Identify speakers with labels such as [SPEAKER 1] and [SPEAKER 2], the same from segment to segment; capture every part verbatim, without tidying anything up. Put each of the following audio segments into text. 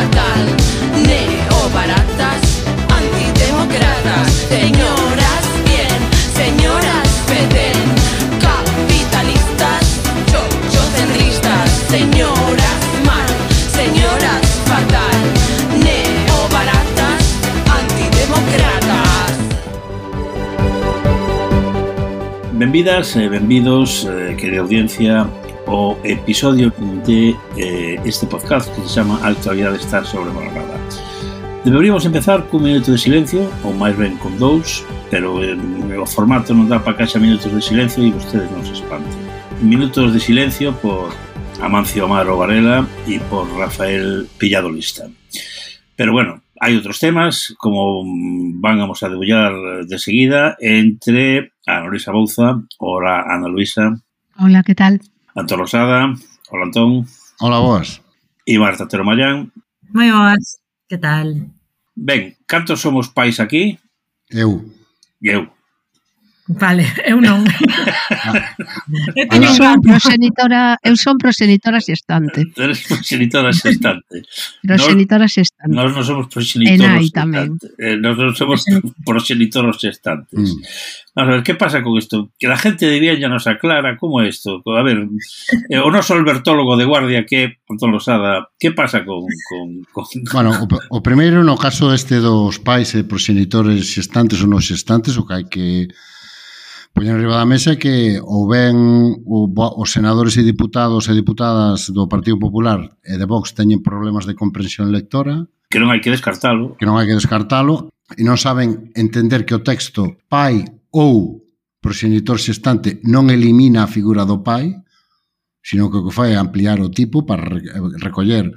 [SPEAKER 1] fatal. Neobaratas, antidemócratas, señoras bien, señoras feden, capitalistas, chochocentristas, señoras mal, señoras fatal. Neobaratas, antidemócratas.
[SPEAKER 2] Benvidas e benvidos, eh, querida audiencia, ao episodio de eh, este podcast que se chama A actualidade está sobrevalorada. Deberíamos empezar cun minuto de silencio, ou máis ben con dous, pero eh, o formato non dá para que haxa minutos de silencio e vostedes non se espanten. Minutos de silencio por Amancio Amaro Varela e por Rafael Pillado Lista. Pero bueno, hai outros temas, como vamos a debullar de seguida, entre Ana Luisa Bouza. Hola, Ana Luisa.
[SPEAKER 3] Hola, que tal?
[SPEAKER 2] Antón Rosada. Hola, Antón.
[SPEAKER 4] Hola, boas.
[SPEAKER 2] E Marta Otero Mallán.
[SPEAKER 5] Moi boas, que tal?
[SPEAKER 2] Ben, cantos somos pais aquí?
[SPEAKER 4] Eu.
[SPEAKER 2] Eu.
[SPEAKER 5] Vale, eu non. eu
[SPEAKER 3] Eu son progenitora, eu son progenitora xestante.
[SPEAKER 2] Eres progenitora xestante.
[SPEAKER 3] Progenitora xestante.
[SPEAKER 2] Nós non somos
[SPEAKER 3] E nai
[SPEAKER 2] progenitoros
[SPEAKER 3] tamén.
[SPEAKER 2] xestantes. Eh, nós non somos progenitoros xestantes.
[SPEAKER 4] Mm.
[SPEAKER 2] Vamos a ver, que pasa con isto? Que la gente de bien ya nos aclara como é isto. A ver, eh, o noso albertólogo de guardia que é Antón Rosada, que pasa con... con, con...
[SPEAKER 4] Bueno, o, o primeiro, no caso este dos pais e progenitores xestantes ou non xestantes, o que hai que poñer arriba da mesa é que ou ben o, os senadores e diputados e diputadas do Partido Popular e de Vox teñen problemas de comprensión lectora,
[SPEAKER 2] que non hai que descartalo.
[SPEAKER 4] que non hai que descartalo, e non saben entender que o texto pai ou progenitor xestante non elimina a figura do pai, sino que o que fai é ampliar o tipo para recoller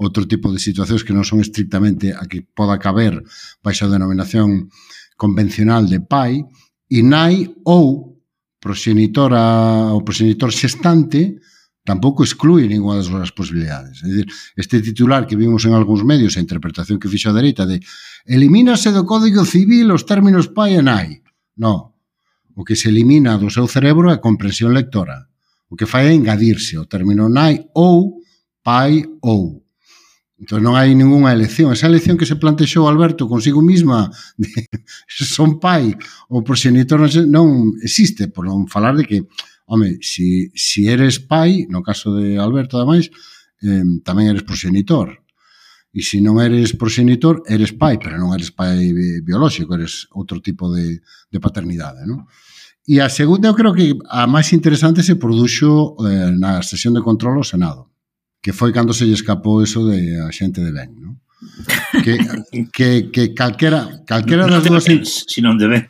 [SPEAKER 4] outro tipo de situacións que non son estrictamente a que poda caber baixo a denominación convencional de pai, e nai ou progenitora ou progenitor xestante tampouco exclui ninguna das súas posibilidades. É dicir, este titular que vimos en algúns medios, a interpretación que fixo a dereita de elimínase do Código Civil os términos pai e nai. Non. O que se elimina do seu cerebro é a comprensión lectora. O que fai é engadirse o término nai ou pai ou. Entón non hai ningunha elección. Esa elección que se plantexou Alberto consigo misma de son pai ou progenitor non existe, por non falar de que, home, si, si eres pai, no caso de Alberto ademais, eh, tamén eres progenitor. E se non eres progenitor, eres pai, pero non eres pai biolóxico, eres outro tipo de, de paternidade, non? E a segunda, eu creo que a máis interesante se produxo eh, na sesión de control ao Senado, que foi cando se lle escapou eso de a xente de ben, non? Que, que, que calquera, calquera das dúas...
[SPEAKER 2] Si non de ben.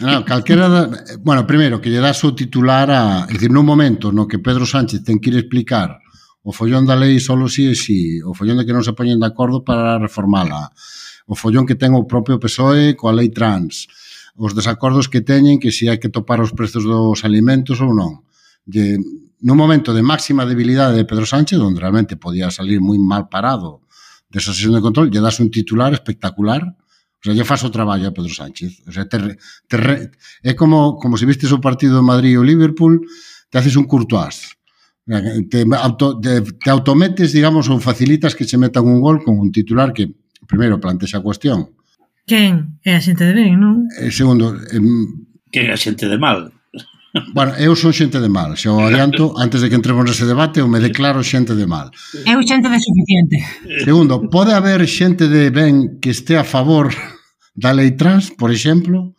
[SPEAKER 4] No, calquera da, bueno, primeiro, que lle das o titular a... É dicir, nun momento no que Pedro Sánchez ten que ir explicar o follón da lei solo si e si, o follón de que non se poñen de acordo para reformala, o follón que ten o propio P S O E coa lei trans, os desacordos que teñen que si hai que topar os prezos dos alimentos ou non. De, nun momento de máxima debilidade de Pedro Sánchez, onde realmente podía salir moi mal parado desa sesión de control, lle das un titular espectacular, o sea, lle faz o traballo a Pedro Sánchez. O sea, te, te, é como, como se vistes o partido de Madrid ou Liverpool, te haces un Courtois. Te, auto, te, te autometes, digamos, ou facilitas que se metan un gol con un titular que, primeiro, plantexa a cuestión.
[SPEAKER 5] Quen? É a xente de ben, non?
[SPEAKER 4] E segundo... Eh,
[SPEAKER 2] que é a xente de mal?
[SPEAKER 4] Bueno, eu son xente de mal, xa o adianto, antes de que entremos nese debate, eu me declaro xente de mal.
[SPEAKER 5] Eu xente de suficiente.
[SPEAKER 4] Segundo, pode haber xente de ben que este a favor da lei trans, por exemplo?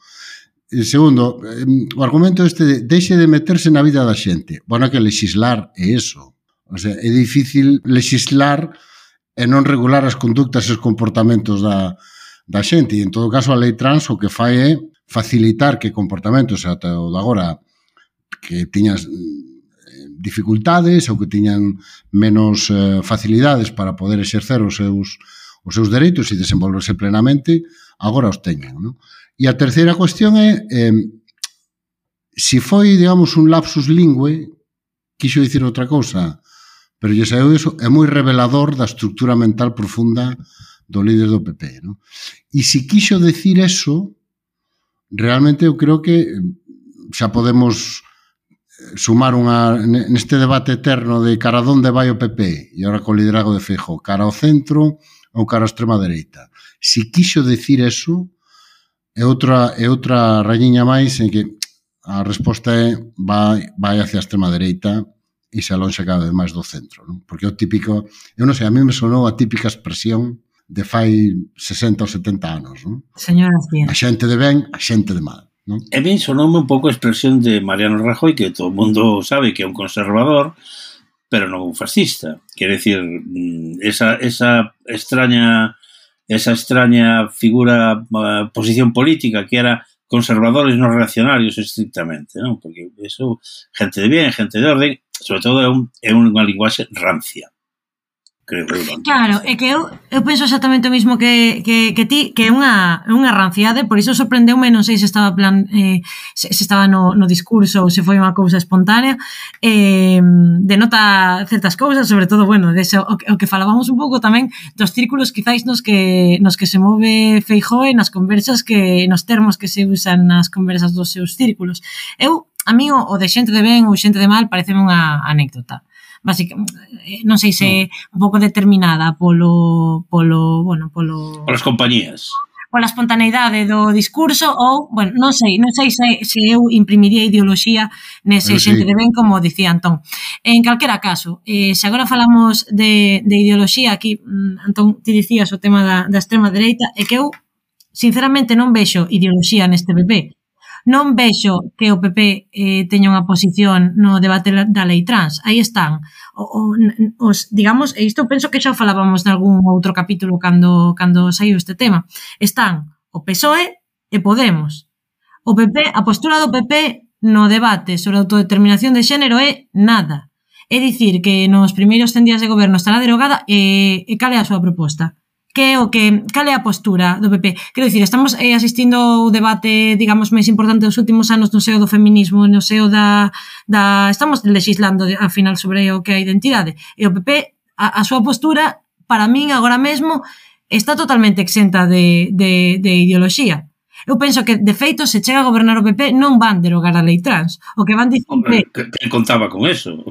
[SPEAKER 4] E segundo, o argumento este de deixe de meterse na vida da xente. Bueno, que lexislar é eso. O sea, é difícil lexislar e non regular as conductas e os comportamentos da, da xente. E en todo caso, a lei trans o que fai é facilitar que comportamentos ata o de agora que tiñas dificultades ou que tiñan menos eh, facilidades para poder exercer os seus, os seus dereitos e desenvolverse plenamente, agora os teñen, non? E a terceira cuestión é eh, si foi, digamos, un lapsus lingüe, quixo dicir outra cousa, pero lle saiu iso, é moi revelador da estructura mental profunda do líder do P P, non? E se quixo decir eso, realmente eu creo que xa podemos sumar unha, neste debate eterno de cara a onde vai o P P e agora co liderazgo de Feijóo, cara ao centro ou cara a extrema dereita. Si quixo decir eso, é outra, é outra rañiña máis en que a resposta é vai, vai hacia a extrema dereita e se alonxa cada vez máis do centro, non? Porque o típico, eu non sei, a mí me sonou a típica expresión de fai sesenta ou setenta anos, non?
[SPEAKER 5] Señoras bien.
[SPEAKER 4] A xente de ben, a xente de mal, non?
[SPEAKER 2] E ben sonoume un pouco a expresión de Mariano Rajoy, que todo o mundo sabe que é un conservador, pero non un fascista. Quere dicir, esa, esa extraña esa extraña figura, uh, posición política que era conservadores non reaccionarios estrictamente, non? Porque eso, gente de bien, gente de orden, sobre todo é, un, é unha linguaxe rancia. Creo que é
[SPEAKER 5] claro, é que eu, eu penso exactamente o mismo que, que, que ti, que é unha, unha ranciade, por iso sorprendeume, non sei se estaba plan, eh, se, se estaba no, no discurso ou se foi unha cousa espontánea, eh, denota certas cousas, sobre todo, bueno, de ese, o, o que falábamos un pouco tamén dos círculos quizáis nos que, nos que se move Feijóo nas conversas, que nos termos que se usan nas conversas dos seus círculos. Eu, a mí, o, o de xente de ben ou xente de mal pareceme unha anécdota. Básicamente, non sei se un pouco determinada polo, polo, bueno, polo...
[SPEAKER 2] Polas compañías.
[SPEAKER 5] Pola espontaneidade do discurso ou, bueno, non sei, non sei se, se eu imprimiría ideoloxía nese
[SPEAKER 4] sí.
[SPEAKER 5] xente de ben, como dicía Antón. En calquera caso, eh, se agora falamos de, de ideoloxía, aquí, Antón, ti dicías o tema da, da extrema dereita, é que eu, sinceramente, non vexo ideoloxía neste P P. Non vexo que o P P eh, teña unha posición no debate da lei trans. Aí están. O, o, os, digamos, e isto penso que xa falábamos nalgún outro capítulo cando, cando saiu este tema. Están o P S O E e Podemos. O P P, a postura do P P no debate sobre a autodeterminación de xénero é nada. É dicir que nos primeiros cen días de goberno estará derogada e, e cal é a súa proposta? Que o que, cal é a postura do P P? Quero dicir, estamos eh, asistindo ao debate, digamos, máis importante dos últimos anos no seo do feminismo, no seo da, da estamos legislando ao final sobre o que é a identidade. E o P P, a, a súa postura, para min, agora mesmo, está totalmente exenta de, de, de ideoloxía. Eu penso que, de feito, se chega a gobernar o P P, non van derogar a lei trans. O que van dicir...
[SPEAKER 2] Hombre, que, que contaba con eso.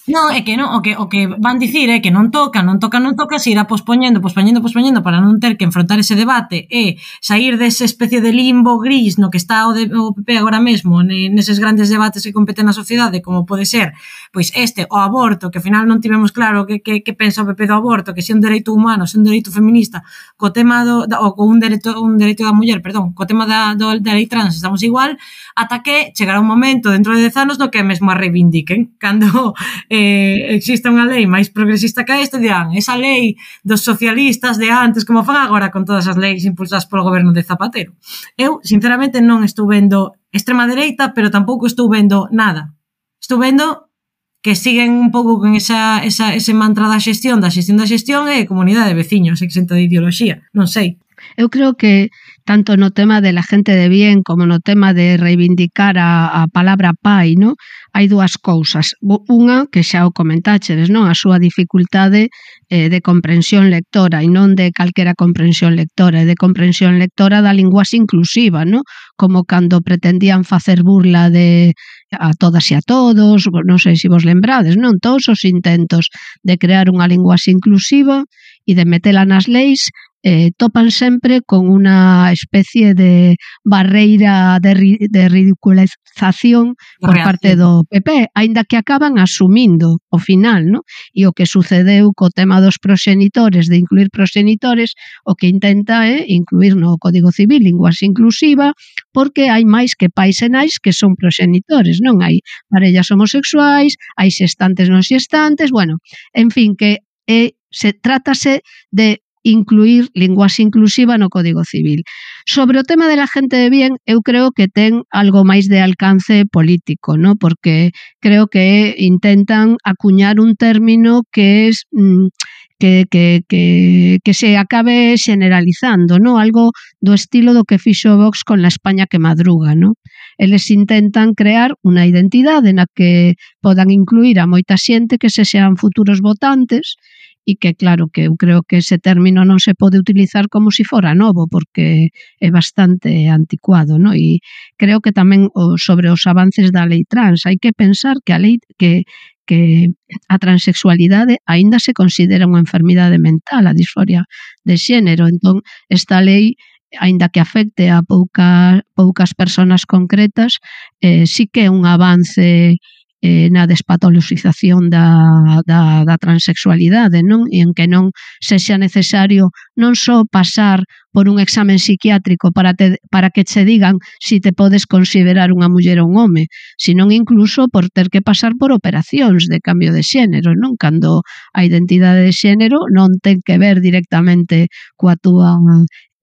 [SPEAKER 5] Non, é que non, o que o que van dicir é que non toca, non toca, non toca, se irá pospoñendo, pospoñendo, pospoñendo para non ter que enfrontar ese debate e sair desa especie de limbo gris no que está o, de, o P P agora mesmo, neses grandes debates que competen na sociedade, como pode ser, pois este, o aborto, que ao final non tivemos claro que, que, que pensa o P P do aborto, que se é un dereito humano, se é un dereito feminista, co tema do, da, ou co un dereito, un dereito da muller, perdón, co tema da, do, da lei trans estamos igual, ata que chegará un momento dentro de dez anos no que mesmo a reivindiquen, cando eh, existe unha lei máis progresista que esta, dirán, esa lei dos socialistas de antes, como fan agora con todas as leis impulsadas polo goberno de Zapatero. Eu, sinceramente, non estou vendo extrema dereita, pero tampouco estou vendo nada. Estou vendo que siguen un pouco con esa, esa, ese mantra da xestión, da xestión da xestión e comunidade de veciños, exenta de ideoloxía, non sei.
[SPEAKER 3] Eu creo que tanto no tema de la gente de bien como no tema de reivindicar a, a palabra pai, ¿no? Hai dúas cousas. Unha, que xa o comentáchedes, non? A súa dificultade eh, de comprensión lectora e non de calquera comprensión lectora, e de comprensión lectora da linguaxe inclusiva, ¿no? Como cando pretendían facer burla de a todas e a todos, non sei se vos lembrades, non? Todos os intentos de crear unha linguaxe inclusiva e de metela nas leis eh, topan sempre con unha especie de barreira de, ri, de ridiculización por parte do P P, aínda que acaban asumindo o final, ¿no? E o que sucedeu co tema dos proxenitores, de incluir proxenitores, o que intenta é incluir no Código Civil linguaxe inclusiva, porque hai máis que pais e nais que son proxenitores, non? Hai parellas homosexuais, hai xestantes non xestantes, bueno, en fin, que eh, se trátase de incluir linguaxe inclusiva no Código Civil. Sobre o tema de la gente de bien, eu creo que ten algo máis de alcance político, ¿no? Porque creo que intentan acuñar un término que es mmm, que, que, que, que se acabe generalizando, ¿no? Algo do estilo do que fixo Vox con la España que madruga, ¿no? Eles intentan crear unha identidade na que podan incluir a moita xente que se sean futuros votantes e que claro que eu creo que ese término non se pode utilizar como se fora novo porque é bastante anticuado, non? E creo que tamén o, sobre os avances da lei trans hai que pensar que a lei que que a transexualidade aínda se considera unha enfermidade mental, a disforia de xénero. Entón, esta lei, aínda que afecte a pouca, poucas persoas concretas, eh, sí que é un avance eh, na despatoloxización da, da, da transexualidade, non? E en que non sexa necesario non só pasar por un examen psiquiátrico para, te, para que che digan si te podes considerar unha muller ou un home, senón incluso por ter que pasar por operacións de cambio de xénero, non? Cando a identidade de xénero non ten que ver directamente coa túa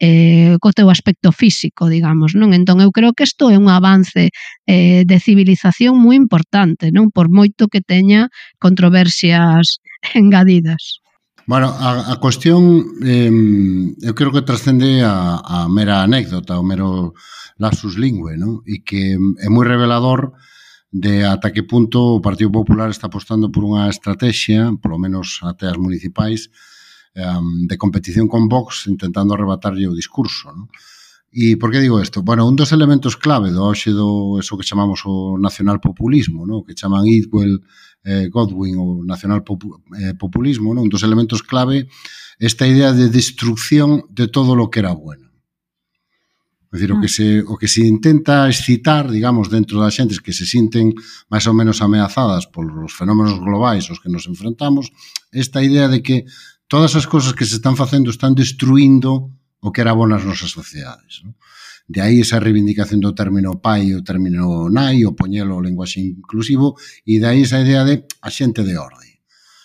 [SPEAKER 3] eh, co teu aspecto físico, digamos, non? Entón eu creo que isto é un avance eh, de civilización moi importante, non? Por moito que teña controversias engadidas.
[SPEAKER 4] Bueno, a, a cuestión eh, eu creo que trascende a, a mera anécdota, o mero lapsus lingue, non? E que é moi revelador de ata que punto o Partido Popular está apostando por unha estrategia, polo menos até as municipais, de competición con Vox intentando arrebatarlle o discurso, non? E por que digo isto? Bueno, un dos elementos clave do hoxe do eso que chamamos o nacionalpopulismo, non? Que chaman Idwell, eh, Godwin o nacionalpopulismo, non? Un dos elementos clave esta idea de destrucción de todo lo que era bueno. É dicir, o que se o que se intenta excitar, digamos, dentro das xentes que se sinten máis ou menos ameazadas polos fenómenos globais aos que nos enfrentamos, esta idea de que todas as cousas que se están facendo están destruindo o que era bo nas nosas sociedades, non? De aí esa reivindicación do término pai, o término nai, o poñelo o lenguaxe inclusivo, e de aí esa idea de a xente de orde.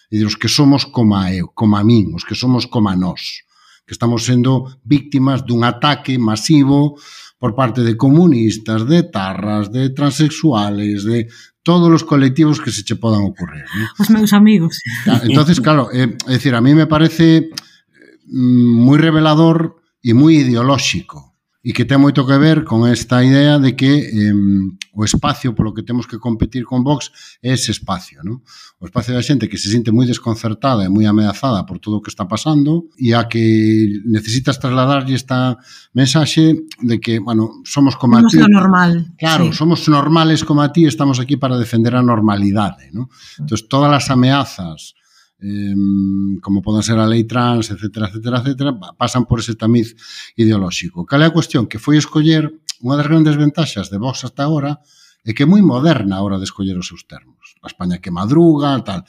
[SPEAKER 4] E de os que somos como a eu, como a min, os que somos como a nós, que estamos sendo víctimas dun ataque masivo por parte de comunistas, de tarras, de transexuales, de todos os colectivos que se che podan ocurrir, ¿no?
[SPEAKER 5] Os meus amigos.
[SPEAKER 4] Entonces, claro, é, é dicir, a mí me parece moi revelador e moi ideolóxico e que ten moito que ver con esta idea de que eh, o espacio polo que temos que competir con Vox é ese espacio, ¿no? O espacio da xente que se sinte moi desconcertada e moi ameazada por todo o que está pasando e a que necesitas trasladarlle esta mensaxe de que, bueno, somos como
[SPEAKER 5] somos
[SPEAKER 4] a ti.
[SPEAKER 5] Somos lo normal.
[SPEAKER 4] Claro, sí. Somos normales como a ti, estamos aquí para defender a normalidade, ¿no? Entonces, todas as ameazas Eh, como poden ser a lei trans, etcétera, etcétera, etcétera, pasan por ese tamiz ideolóxico. Cal é a cuestión? Que foi escoller unha das grandes ventaxas de Vox hasta agora é que é moi moderna a hora de escoller os seus termos. A España que madruga, tal.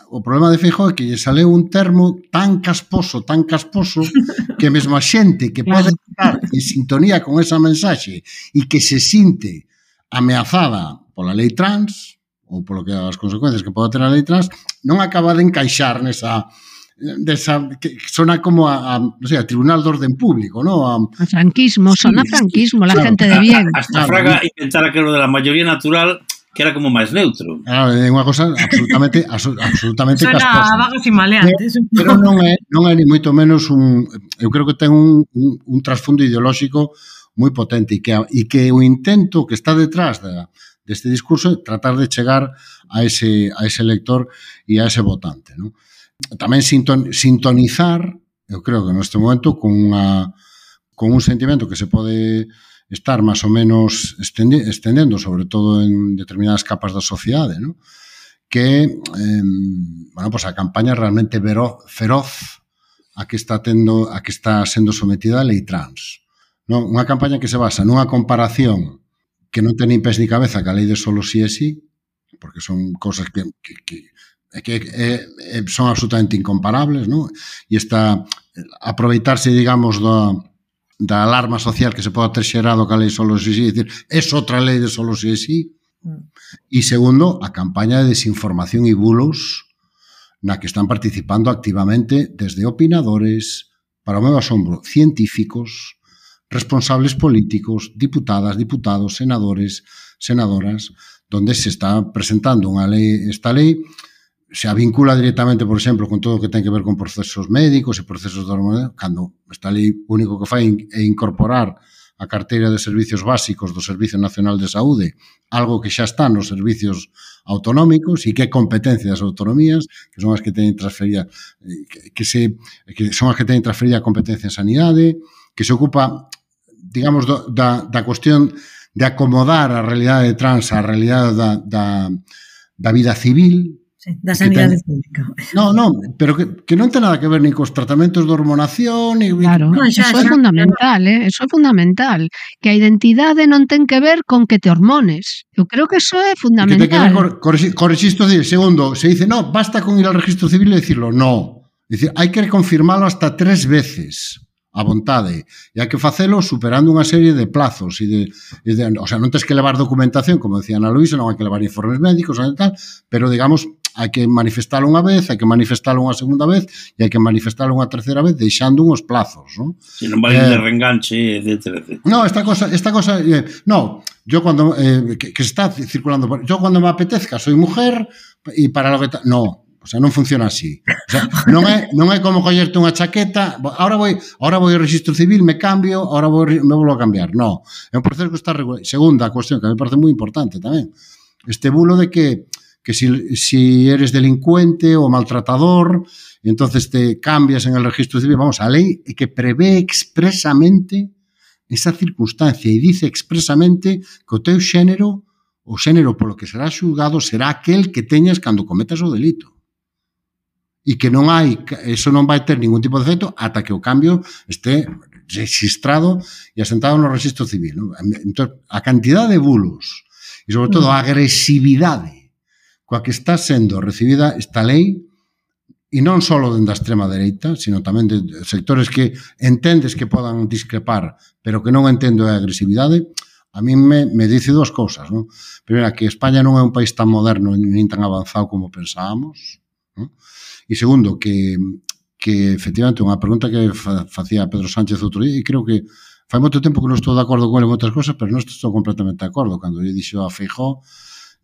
[SPEAKER 4] O problema de Feijóo é que lle saleu un termo tan casposo, tan casposo, que mesmo a xente que pode estar en sintonía con esa mensaxe e que se sinte ameazada pola lei trans ou polo que as consecuencias que pode ter a lei trans, non acaba de encaixar nesa, desa, que sona como a, a, no sé, a Tribunal de Orden Público, ¿no? A,
[SPEAKER 3] a franquismo, sí, sona franquismo, la claro, gente de bien.
[SPEAKER 2] Hasta claro, Fraga inventara que lo de la mayoría natural que era como máis neutro.
[SPEAKER 4] Claro, é unha cosa absolutamente absolutamente
[SPEAKER 5] casposa. Sona a vagos e maleantes.
[SPEAKER 4] Pero non é, non é ni moito menos un, eu creo que ten un, un, un trasfondo ideolóxico moi potente e que, e que o intento que está detrás da deste discurso, tratar de chegar a ese, a ese lector e a ese votante, ¿no? Tamén sinton, sintonizar, eu creo que neste momento, con, unha, con un sentimento que se pode estar máis ou menos estendendo, sobre todo en determinadas capas da sociedade, ¿no? Que eh, bueno, pues a campaña realmente vero, feroz a que está tendo, a que está sendo sometida a lei trans, ¿no? Unha campaña que se basa nunha comparación que non ten nin pés ni cabeza que a lei de solo si é si, porque son cosas que, que, que, que eh, eh, son absolutamente incomparables, ¿no? E está aproveitarse, digamos, da, da alarma social que se pode ter xerado que a lei solo si é si, é dicir, é outra lei de solo si é si. E segundo, a campaña de desinformación e bulos na que están participando activamente desde opinadores, para o meu asombro, científicos, responsables políticos, diputadas, diputados, senadores, senadoras, donde se está presentando unha lei, esta lei se vincula directamente, por exemplo, con todo o que ten que ver con procesos médicos e procesos de hormonas, cando esta lei único que fai é incorporar a carteira de servicios básicos do Servicio Nacional de Saúde, algo que xa está nos servicios autonómicos e que é competencia das autonomías, que son as que teñen transferida, que, que, se, que son as que teñen transferida a competencia en sanidade, que se ocupa, digamos, do, da, da cuestión de acomodar a realidade trans á realidade da, da, da vida civil.
[SPEAKER 5] Sí, da sanidade pública.
[SPEAKER 4] No, no, pero que, que non ten nada que ver ni cos tratamentos de hormonación, ni...
[SPEAKER 3] Claro,
[SPEAKER 5] No, xa,
[SPEAKER 3] eso é
[SPEAKER 5] xa.
[SPEAKER 3] fundamental, eh? Eso é fundamental. Que a identidade non ten que ver con que te hormones. Eu creo que eso é
[SPEAKER 4] Que te queda
[SPEAKER 3] fundamental.
[SPEAKER 4] cor, cor, cor registro civil. Segundo, se dice, no, basta con ir al registro civil e decirlo. No. Es decir, hai que confirmarlo hasta tres veces a vontade. E hai que facelo superando unha serie de plazos. E de, e de, o sea, non tens que levar documentación, como decía Ana Luisa, non hai que levar informes médicos, non tal, pero, digamos, hai que manifestalo unha vez, hai que manifestalo unha segunda vez e hai que manifestalo unha terceira vez deixando uns plazos, ¿no?
[SPEAKER 2] Si non vai
[SPEAKER 4] Eh,
[SPEAKER 2] de reenganche, etcétera, etcétera.
[SPEAKER 4] No, esta cosa, esta cosa, eh, no, yo cuando, eh, que, que está circulando, por, yo cuando me apetezca soy mujer y para lo que, ta, no, o sea, non funciona así. O sea, non é, non é como collerte unha chaqueta, ahora voy, ahora voy ao registro civil, me cambio, ahora voy, me volvo a cambiar. No, é un proceso que está regulado. Segunda cuestión, que me parece moi importante tamén, este bulo de que que si, si eres delincuente o maltratador, entonces te cambias en el registro civil. Vamos, a lei que prevé expresamente esa circunstancia e dice expresamente que o teu xénero, o xénero polo que será xulgado, será aquel que teñas cando cometas o delito. E que non hai, eso non vai ter ningún tipo de efecto ata que o cambio este registrado e asentado no registro civil, ¿no? Entón, a cantidad de bulos e, sobre todo, a agresividade coa que está sendo recibida esta lei, e non só dende a extrema dereita, sino tamén de sectores que entendes que podan discrepar, pero que non entendo a agresividade, a mí me, me dice dúas cousas, ¿no? Primeira, que España non é un país tan moderno nin tan avanzado como pensábamos, ¿no? E segundo, que, que efectivamente unha pregunta que fa, facía Pedro Sánchez outro día, e creo que fai moito tempo que non estou de acordo con ele en outras cosas, pero non estou completamente de acordo. Cando lle dixo a Feijóo,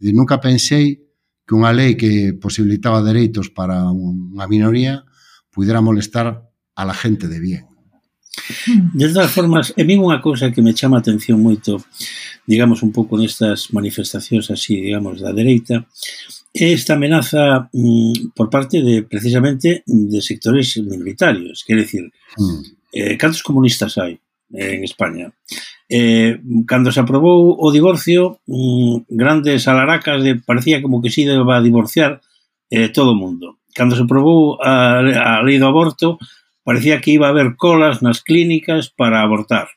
[SPEAKER 4] e nunca pensei que unha lei que posibilitaba dereitos para unha minoría pudera molestar a la gente de bien.
[SPEAKER 2] De todas formas, é min unha cousa que me chama a atención moito, digamos, un pouco nestas manifestacións así, digamos, da dereita, é esta amenaza mm, por parte de, precisamente, de sectores minoritarios. Quer decir, mm. eh, cantos comunistas hai en España? Eh, cando se aprobou o divorcio, mm, grandes alaracas de, parecía como que se iba a divorciar eh, todo o mundo. Cando se aprobou a, a lei do aborto, parecía que iba a haber colas nas clínicas para abortar.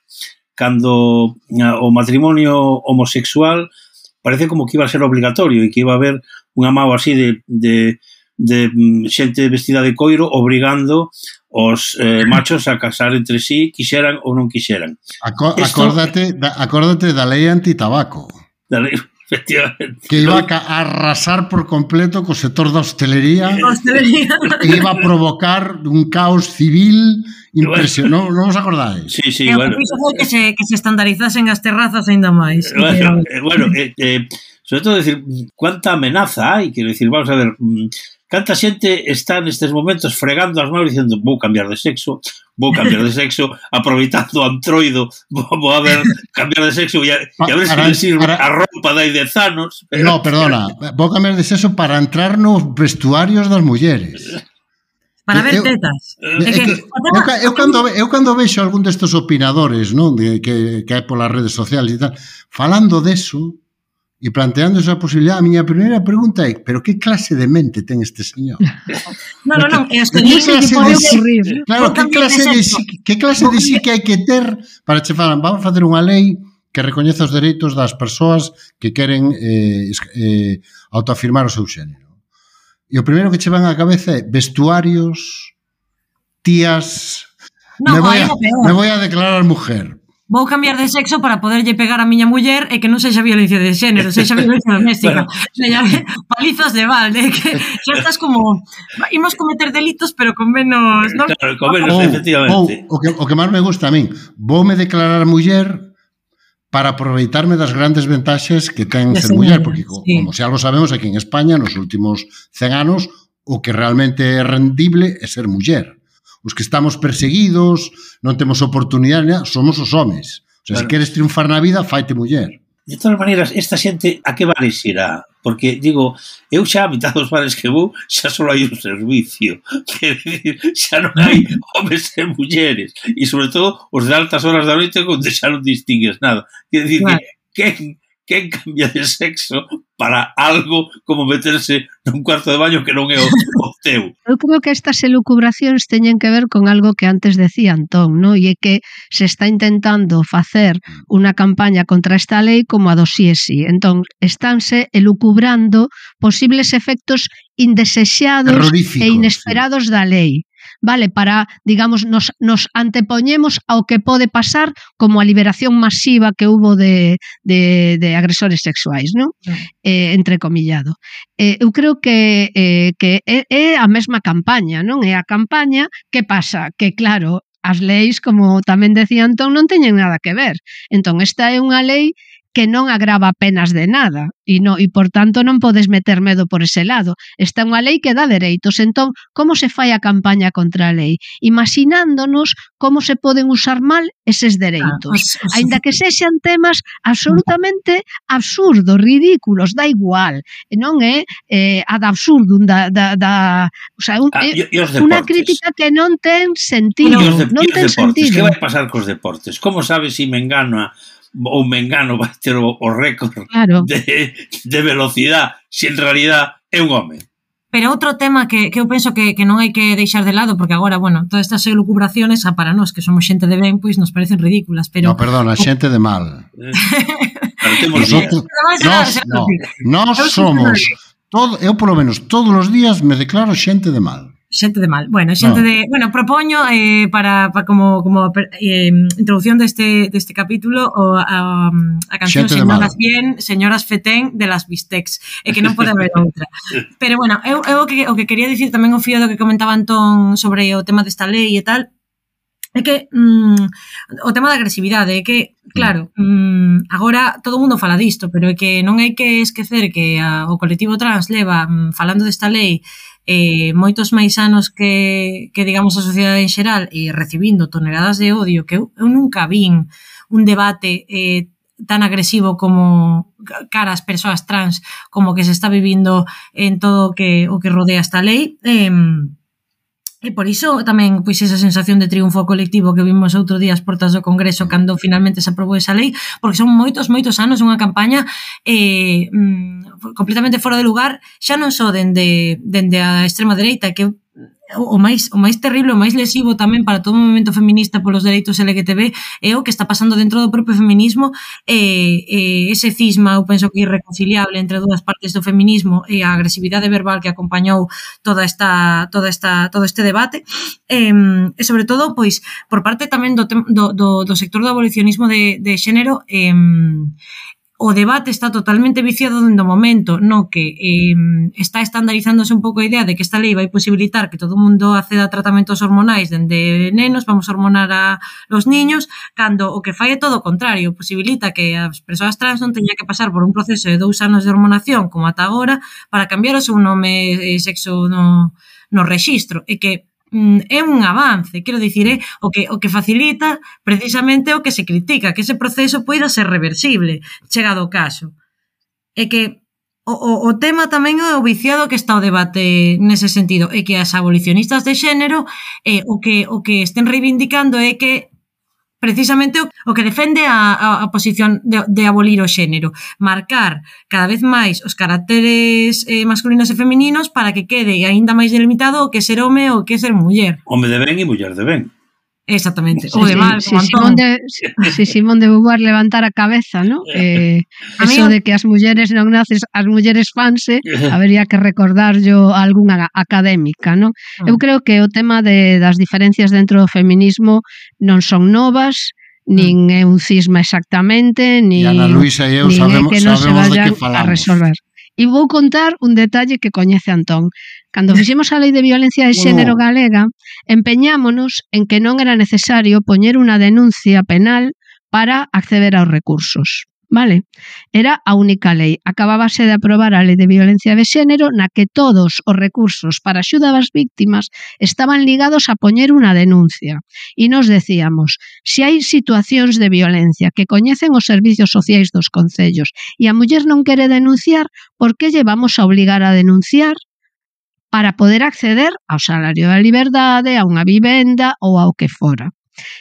[SPEAKER 2] Cando a, o matrimonio homosexual, parecía como que iba a ser obligatorio e que iba a haber unha mao así de, de, de xente vestida de coiro obrigando os eh, machos a casar entre sí, quixeran ou non quixeran.
[SPEAKER 4] Aco Esto, acórdate, da, acórdate da lei antitabaco.
[SPEAKER 2] Da lei, efectivamente.
[SPEAKER 4] Que iba a arrasar por completo co sector da hostelería,
[SPEAKER 5] hostelería.
[SPEAKER 4] E iba a provocar un caos civil impresionante. Non, non os acordáis?
[SPEAKER 2] Sí, sí,
[SPEAKER 5] e
[SPEAKER 2] bueno.
[SPEAKER 5] O foi que se, que se estandarizasen as terrazas ainda máis.
[SPEAKER 2] Bueno, eh, bueno eh, eh, sobre todo decir, cuánta amenaza hai, quero decir, vamos a ver, canta xente está nestes momentos fregando as manos dicindo vou cambiar de sexo, vou cambiar de sexo, aproveitando o antroido, vou, vou a ver cambiar de sexo e a, e a ver se me sirve para... a roupa dai dez anos.
[SPEAKER 4] Pero... No, perdona, vou cambiar de sexo para entrar nos vestuarios das mulleres.
[SPEAKER 5] Para ver tetas.
[SPEAKER 4] Eu, é que, eu, eu, cando, eu cando vexo algún destes opinadores, non, de, que, que hai polas redes sociales e tal, falando deso, e planteando esa posibilidad, a miña primeira pregunta é, pero que clase de mente ten este señor?
[SPEAKER 5] No, no, non, é que
[SPEAKER 3] non se pode ocurrir.
[SPEAKER 4] Claro, que clase de sí, que clase de sí que hai que ter para che falan, vamos a facer unha lei que recoñeza os dereitos das persoas que queren eh, eh, autoafirmar o seu xénero. E o primeiro que che van á cabeza é vestuarios, tías,
[SPEAKER 5] no,
[SPEAKER 4] me, voy a, me voy a declarar mujer.
[SPEAKER 5] Vou cambiar de sexo para poderlle pegar a miña muller e que non sexa violencia de xénero, sexa violencia doméstica. Bueno. Palizas de balde, que xa estás como imos cometer delitos, pero con menos, ¿no?
[SPEAKER 2] Claro, con menos, oh, efectivamente.
[SPEAKER 4] Oh, o, que, o que máis me gusta a min, voume declarar muller para aproveitarme das grandes ventaxes que ten ser muller, porque sí. Como se algo sabemos aquí en España, nos últimos cen anos, o que realmente é rendible é ser muller. Os que estamos perseguidos, non temos oportunidade, somos os homes. O sea, claro. Se queres triunfar na vida, faite muller.
[SPEAKER 2] De todas maneiras, esta xente a que bares irá? Porque, digo, eu xa a mitad dos bares que vou xa só hai un servicio. Quer dizer, xa non hai homens e mulleres. E, sobre todo, os de altas horas da noite onde xa non distingues nada. Quer dizer, claro. que quen, quen cambia de sexo para algo como meterse nun cuarto de baño que non é o, o teu?
[SPEAKER 3] Eu creo que estas elucubracións teñen que ver con algo que antes decía Antón, ¿no? E é que se está intentando facer unha campaña contra esta lei como a do sí é sí. Entón, estánse elucubrando posibles efectos indesexados e inesperados sí. da lei. Vale, para, digamos, nos, nos antepoñemos ao que pode pasar como a liberación masiva que hubo de, de, de agresores sexuais, non? Sí. Eh, entrecomillado. Eh, eu creo que, eh, que é, é a mesma campaña, non? É a campaña, que pasa? Que, claro, as leis, como tamén decía Antón, non teñen nada que ver. Entón, esta é unha lei que non agrava penas de nada e, no, e por tanto non podes meter medo por ese lado. Esta é unha lei que dá dereitos. Entón, como se fai a campaña contra a lei? Imaginándonos como se poden usar mal eses dereitos. Ah, os, os... Ainda que sexan temas absolutamente absurdos, ridículos, dá igual. Non é eh, ad absurdum da... da, da o sea, un, ah, é unha crítica que non ten sentido.
[SPEAKER 2] De,
[SPEAKER 3] non ten
[SPEAKER 2] deportes,
[SPEAKER 3] sentido.
[SPEAKER 2] Que vai pasar cos deportes? Como sabes se me engano a ou Mengano vai ter o, o récord claro. de, de velocidade se en realidad é un home.
[SPEAKER 5] Pero outro tema que, que eu penso que, que non hai que deixar de lado, porque agora, bueno, todas estas elucubraciones, a para nós, que somos xente de ben, pois nos parecen ridículas, pero...
[SPEAKER 4] No, perdona, xente de mal. Nosotros, nos, no, nós somos, todo, eu polo menos todos os días me declaro xente de mal.
[SPEAKER 5] Xente de mal. Bueno, xente no. de... Bueno, propoño eh, para, para como, como eh, introducción deste, deste capítulo o, a, a canción Señoras Bien, Señoras Fetén de las Bistecs. E que non pode haber outra. Pero bueno, eu, eu o, que, o que quería dicir tamén o fío do que comentaba Antón sobre o tema desta lei e tal, é que mm, o tema da agresividade é que, claro, mm, agora todo o mundo fala disto, pero é que non hai que esquecer que a, o colectivo trans leva mm, falando desta lei eh, moitos máis anos que, que digamos a sociedade en xeral e recibindo toneladas de odio que eu, eu nunca vin un debate eh, tan agresivo como cara as persoas trans como que se está vivindo en todo o que, o que rodea esta lei eh, e por iso tamén pois esa sensación de triunfo colectivo que vimos outro día as portas do Congreso cando finalmente se aprobou esa lei, porque son moitos, moitos anos unha campaña eh, completamente fora de lugar, xa non só dende, dende a extrema dereita, que o máis, o máis terrible, o máis lesivo tamén para todo o movimento feminista polos dereitos L G T B é o que está pasando dentro do propio feminismo e, e ese cisma, eu penso que irreconciliable entre dúas partes do feminismo e a agresividade verbal que acompañou toda esta, toda esta, todo este debate e, e sobre todo, pois, por parte tamén do, do, do, do sector do abolicionismo de, de xénero e, o debate está totalmente viciado dentro do momento no que eh, está estandarizándose un pouco a idea de que esta lei vai posibilitar que todo o mundo acceda a tratamentos hormonais dende nenos, vamos a hormonar a los niños, cando o que fai é todo o contrario, posibilita que as persoas trans non teñan que pasar por un proceso de dous anos de hormonación como ata agora para cambiar o seu nome e sexo no, no rexistro, e que é un avance, quero dicir, é o que o que facilita precisamente o que se critica, que ese proceso poida ser reversible, chegado o caso. É que o, o, o tema tamén é o viciado que está o debate nese sentido, é que as abolicionistas de xénero eh, o que o que estén reivindicando é que precisamente o, o que defende a, a, a posición de, de abolir o xénero, marcar cada vez máis os caracteres eh, masculinos e femininos para que quede aínda máis delimitado o que ser home ou o que ser muller.
[SPEAKER 2] Home de ben e muller de ben.
[SPEAKER 5] Exactamente,
[SPEAKER 3] sí,
[SPEAKER 5] o de mal,
[SPEAKER 3] sí,
[SPEAKER 5] como
[SPEAKER 3] sí,
[SPEAKER 5] Antón.
[SPEAKER 3] De, si Simón de Beauvoir levantar a cabeza, ¿no? Eh, eso de que as mulleres non naces, as mulleres fanse, habería que recordar yo a algunha académica, ¿no? Eu creo que o tema de, das diferencias dentro do feminismo non son novas, nin é un cisma exactamente, ni,
[SPEAKER 4] e Ana Luisa e eu sabemos,
[SPEAKER 3] que non se
[SPEAKER 4] sabemos de
[SPEAKER 3] vayan
[SPEAKER 4] que falamos.
[SPEAKER 3] A resolver. E vou contar un detalle que coñece Antón. Cando fixemos a Lei de Violencia de Xénero galega, empeñámonos en que non era necesario poñer unha denuncia penal para acceder aos recursos. Vale? Era a única lei. Acabábase de aprobar a Lei de Violencia de Xénero na que todos os recursos para axuda das víctimas estaban ligados a poñer unha denuncia. E nos decíamos, se hai situacións de violencia que coñecen os servizos sociais dos concellos e a muller non quere denunciar, por que lle vamos a obligar a denunciar para poder acceder ao salario da liberdade, a unha vivenda ou ao que fora?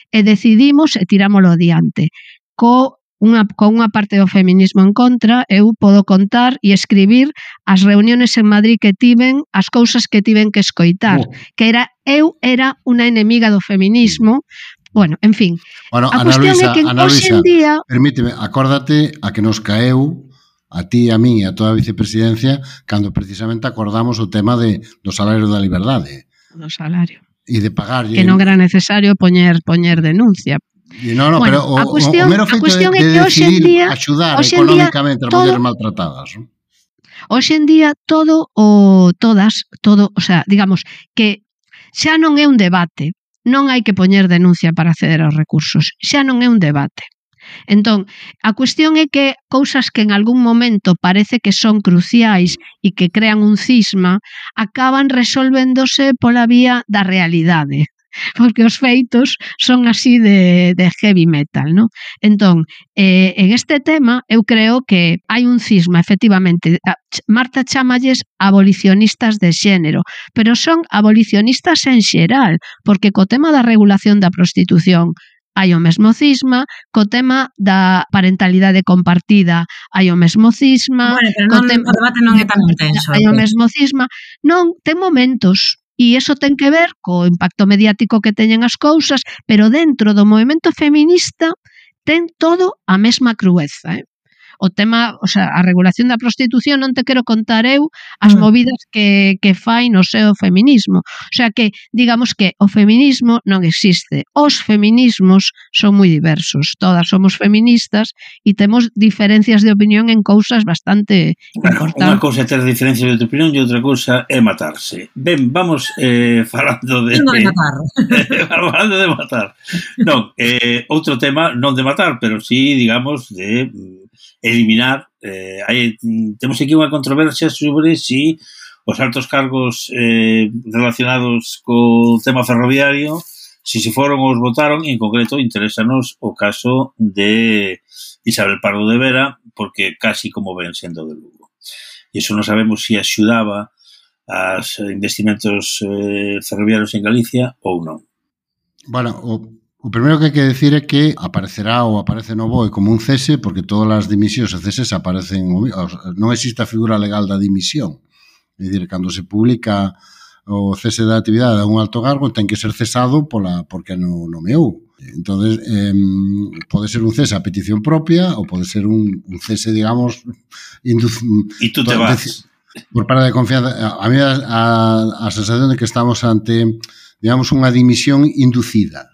[SPEAKER 3] E decidimos e tirámolo adiante. Co Unha, con unha parte do feminismo en contra, eu podo contar e escribir as reuniones en Madrid que tiven, as cousas que tiven que escoitar, oh. que era eu era unha enemiga do feminismo. Bueno, en fin.
[SPEAKER 4] Bueno,
[SPEAKER 3] a
[SPEAKER 4] Ana
[SPEAKER 3] cuestión
[SPEAKER 4] Luisa,
[SPEAKER 3] é que
[SPEAKER 4] Ana
[SPEAKER 3] hoxe
[SPEAKER 4] Luisa,
[SPEAKER 3] en día...
[SPEAKER 4] permíteme, acórdate a que nos caeu a ti, a mí e a toda a vicepresidencia cando precisamente acordamos o tema de, do salario da liberdade.
[SPEAKER 3] Do salario.
[SPEAKER 4] E de pagar...
[SPEAKER 3] Que non era necesario poñer poñer denuncia.
[SPEAKER 4] No, no, bueno, pero o, cuestión, o mero feito de, de decidir día, axudar económicamente as mulleres maltratadas. ¿No?
[SPEAKER 3] Hoxe en día todo o todas, todo, o sea, digamos que xa non é un debate, non hai que poñer denuncia para acceder aos recursos, xa non é un debate. Entón, a cuestión é que cousas que en algún momento parece que son cruciais e que crean un cisma, acaban resolvéndose pola vía da realidade. Porque os feitos son así de, de heavy metal, ¿no? Entón, eh, en este tema eu creo que hai un cisma, efectivamente. Marta chamalles abolicionistas de xénero, pero son abolicionistas en xeral, porque co tema da regulación da prostitución hai o mesmo cisma, co tema da parentalidade compartida hai o mesmo cisma,
[SPEAKER 5] bueno, pero non, tema, o debate non é tan intenso.
[SPEAKER 3] Hai o mesmo cisma. Non, ten momentos. E iso ten que ver co impacto mediático que teñen as cousas, pero dentro do movemento feminista ten todo a mesma crueza, eh? O tema, o sea, a regulación da prostitución non te quero contar eu as movidas que, que fai no seu feminismo. O sea que, digamos que o feminismo non existe. Os feminismos son moi diversos. Todas somos feministas e temos diferencias de opinión en cousas bastante
[SPEAKER 2] bueno,
[SPEAKER 3] importantes.
[SPEAKER 2] Unha cousa é ter diferencias de opinión e outra cousa é matarse. Ben, vamos eh, falando de...
[SPEAKER 5] Non de matar.
[SPEAKER 2] falando de matar. Non, eh, outro tema, non de matar, pero sí, digamos, de... eliminar, eh, hai, temos aquí unha controversia sobre si os altos cargos eh, relacionados co tema ferroviario, si se foron ou os votaron, e en concreto interesanos o caso de Isabel Pardo de Vera, porque casi como ven sendo de Lugo. E iso non sabemos se si axudaba aos investimentos eh, ferroviarios en Galicia ou non.
[SPEAKER 4] Bueno, o O primeiro que hai que decir é que aparecerá ou aparece no B O E como un cese, porque todas as dimisións e ceses aparecen, non existe a figura legal da dimisión. É dicir, cando se publica o cese da actividade de un alto cargo, ten que ser cesado pola porque non nomeou. Entón, eh, pode ser un cese a petición propia ou pode ser un, un cese, digamos, induz...
[SPEAKER 2] E tú te vas.
[SPEAKER 4] Por parte de confianza. A mí a, a, a sensación de que estamos ante, digamos, unha dimisión inducida.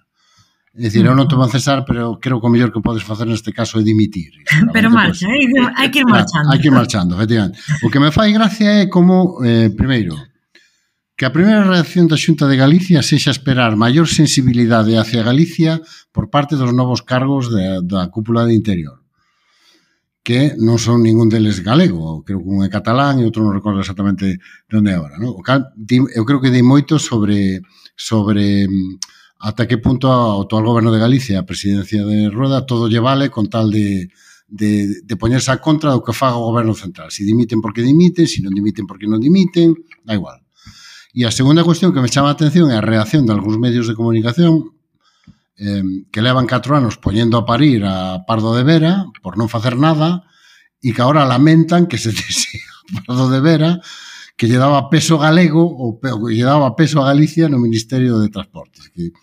[SPEAKER 4] É dicir, eu non te vou cesar, pero creo que o mellor que podes facer neste caso é dimitir.
[SPEAKER 5] Pero marcha, pues, hai que ir marchando.
[SPEAKER 4] Hai que ir marchando, efectivamente. O que me fai gracia é como, eh, primeiro, que a primeira reacción da Xunta de Galicia sexa esperar maior sensibilidade hacia Galicia por parte dos novos cargos de, da cúpula de Interior, que non son ningún deles galego, creo que un é catalán e outro non recordo exactamente onde é agora. No? Eu creo que dei moito sobre... sobre ata que punto ao actual goberno de Galicia, a presidencia de Rueda, todo lle vale con tal de, de, de poñerse a contra do que faga o goberno central. Si dimiten porque dimiten, si non dimiten porque non dimiten, da igual. E a segunda cuestión que me chama a atención é a reacción de algúns medios de comunicación eh, que levan catro anos poñendo a parir a Pardo de Vera por non facer nada e que agora lamentan que se dese a Pardo de Vera que lle daba peso galego ou lle daba peso a Galicia no Ministerio de Transportes, que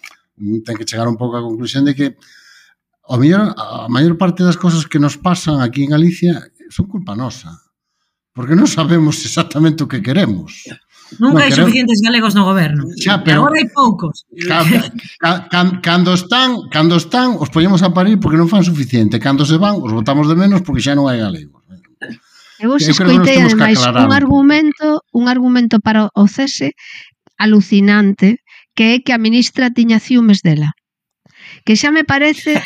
[SPEAKER 4] ten que chegar un pouco á conclusión de que o mellor, a maior parte das cosas que nos pasan aquí en Galicia son culpa nosa, porque non sabemos exactamente o que queremos.
[SPEAKER 5] Nunca hai suficientes galegos no goberno. Xa, pero agora hai poucos.
[SPEAKER 4] Cando están, cando están, os poñemos a parir porque non fan suficiente. Cando se van, os botamos de menos porque xa non hai galegos.
[SPEAKER 3] Eu vos escoitei, ademais, un argumento, un argumento para o cese alucinante, que é que a ministra tiña ciúmes dela. Que xa me parece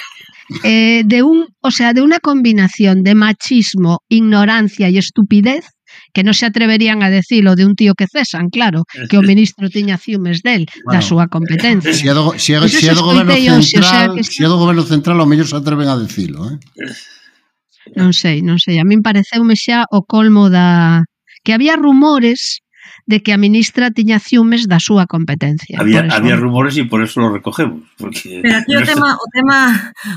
[SPEAKER 3] eh, de un, o sea, de una combinación de machismo, ignorancia e estupidez que non se atreverían a decilo de un tío que cesan, claro, que o ministro tiña ciumes del,
[SPEAKER 4] Bueno,
[SPEAKER 3] da súa competencia.
[SPEAKER 4] Se é do, se é,
[SPEAKER 3] Pois
[SPEAKER 4] se é
[SPEAKER 3] eso
[SPEAKER 4] do goberno
[SPEAKER 3] escoitei hoxe, o sea,
[SPEAKER 4] central,
[SPEAKER 3] que
[SPEAKER 4] se é do goberno central, ao mellor se atreven a decilo, eh?
[SPEAKER 3] Non sei, non sei, a min pareceume xa o colmo da... que había rumores de que a ministra tiña ciumes da súa competencia.
[SPEAKER 2] Había,
[SPEAKER 3] Por eso-
[SPEAKER 2] había rumores y por eso lo recogemos. Porque
[SPEAKER 5] Pero aquí o tema, o tema,